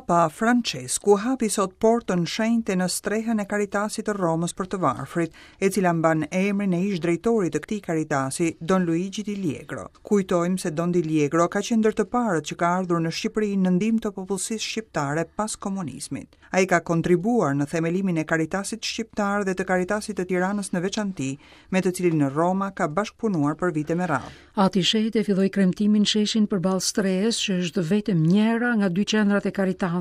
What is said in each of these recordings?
Papa Françesku hapi sot portën shenjte në strehën e Caritasit të Romës për të varfrit, e cila mban emrin e ish-drejtorit të këtij Caritasi, Don Luigi Di Liegro. Kujtojmë se Don Di Liegro ka qenë ndër të parët që ka ardhur në Shqipëri në ndihmë të popullsisë shqiptare pas komunizmit. Ai ka kontribuar në themelimin e Caritasit shqiptar dhe të Caritasit të Tiranës në veçanti, me të cilin Roma ka bashkëpunuar për vite me radhë. Ati i Shenjtë e filloi kremtimin në sheshin përballë strehës, që është vetëm njëra nga dy qendrat e Caritasit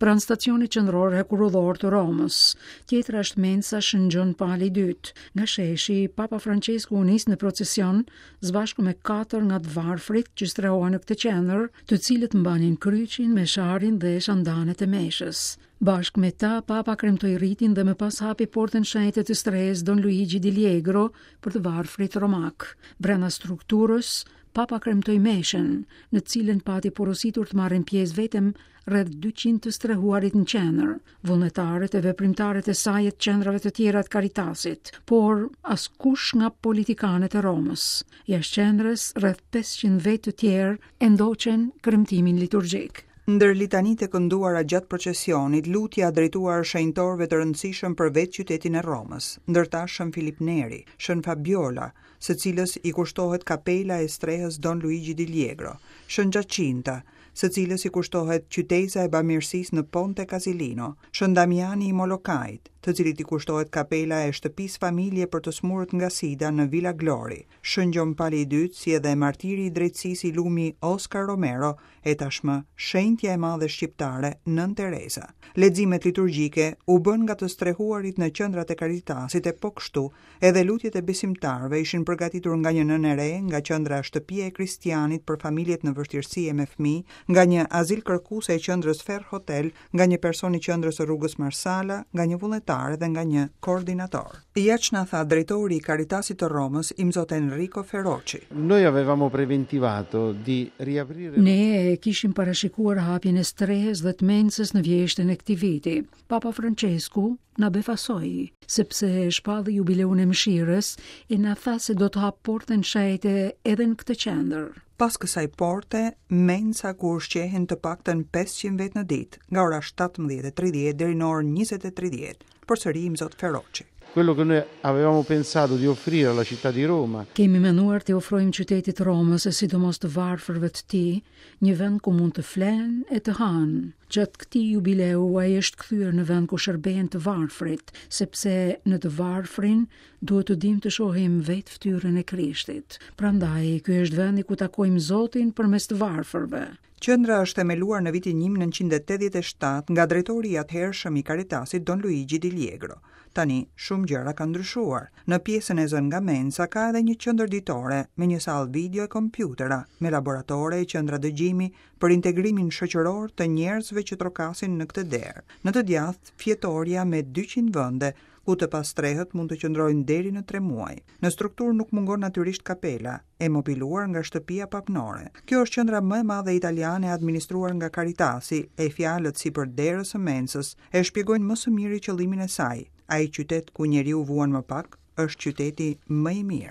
pranë stacionit qendror hekurudhor të Romës. Tjetra është mensa Shën Gjon Pali i II. Nga sheshi, Papa Françesku u nis në procesion së bashku me katër nga të varfrit që strehohen në këtë qendër, të cilët mbanin kryqin, mesharin dhe shandanet e meshës. Bashkë me ta, Papa kremtoi ritin dhe më pas hapi portën shenjte të strehës Don Luigi Di Liegro për të varfrit romakë. Brenda strukturës, Papa kremtoi meshën, në të cilën pati porositur të marrin pjesë vetëm rreth 200 të strehuarit në qendër, vullnetarët e veprimtarët e saj e të qendrave të tjera të Caritasit, por askush nga politikanët e Romës. Jashtë qendrës, rreth 500 vetë të tjerë e ndoqën kremtimin liturgjik. Ndër litanitë e kënduara gjatë procesionit, lutja drejtuar shenjtorëve të rëndësishëm për vetë qytetin e Romës, ndër ta Shën Filip Neri, Shën Fabiola, së cilës i kushtohet kapela e strehës Don Luigi Di Liegro, Shën Giacinta, së cilës i kushtohet qyteza e bamirësisë në Ponte Casilino, Shën Damiani i Molokait, të cilit i kushtohet kapela e shtëpisë familje për të sëmurët nga Sida në Villa Glori, Shën Gjon Pali i Dytë, si edhe martiri i drejtësisë i lumi Oscar Romero e tashmë shenjtja e madhe shqiptare Nënë Tereza. Leximet liturgjike u bënë nga të strehuarit në qendrat e Caritasit e po kështu Edhe lutjet e besimtarëve ishin përgatitur nga një nënë e re nga qendra Shtëpia e Kristianit për familjet në vështirësi e me fëmijë, nga një azilkërkuese e qendrës Ferr Hotel, nga një person i qendrës së rrugës Marsala, nga një vullnetar dhe nga një koordinator. Ja ç'na tha drejtori i Caritasit të Romës, Imzot Enrico Feroci. Noi avevamo preventivato di riaprire. Ne e kishim parashikuar hapjen e strehës dhe të mensës në vjeshtën e këtij viti. Papa Françesku na befasoi, sepse shpalli jubileun e mëshirës e na tha se do të hapë portën shenjte edhe në këtë qendër. Pas kësaj porte, mensa ku ushqehen të paktën 500 vetë në ditë, nga ora 17:30 deri në orën 20:30, përsëri Imzot Feroci. Quello che noi avevamo pensato di offrire alla città di Roma. Kemi menduar t'i ofrojmë qytetit të Romës e sidomos të varfërve të tij, një vend ku mund të flenë e të hanë. Gjatë këtij jubileu ai është kthyer në vend ku shërbehen të varfrit, sepse në të varfrin duhet të dimë të shohim vetë fytyrën e Krishtit. Prandaj ky është vendi ku takojmë Zotin përmes të varfërve. Qendra është themeluar në vitin 1987 nga drejtori i atëhershëm i Caritasit Don Luigi Di Liegro. Tani, shumë gjëra kanë ndryshuar. Në pjesën e zënë nga mensa ka edhe një qendër ditore, me një sallë video e kompjutera, me laboratore e qendra dëgjimi për integrimin shoqëror të njerëzve që trokasin në këtë derë. Në të djathtë, fjetorja me 200 vende, ku të pastrehët mund të qëndrojnë deri në 3 muaj. Në strukturë nuk mungon natyrisht kapela, e mobiluar nga shtëpia papnore. Kjo është qendra më e madhe italiane e administruar nga Caritasi, e fjalët sipër derës së mensës e shpjegojnë më së miri qëllimin e saj. Ai qytet ku njeriu vuan më pak, është qyteti më i mirë.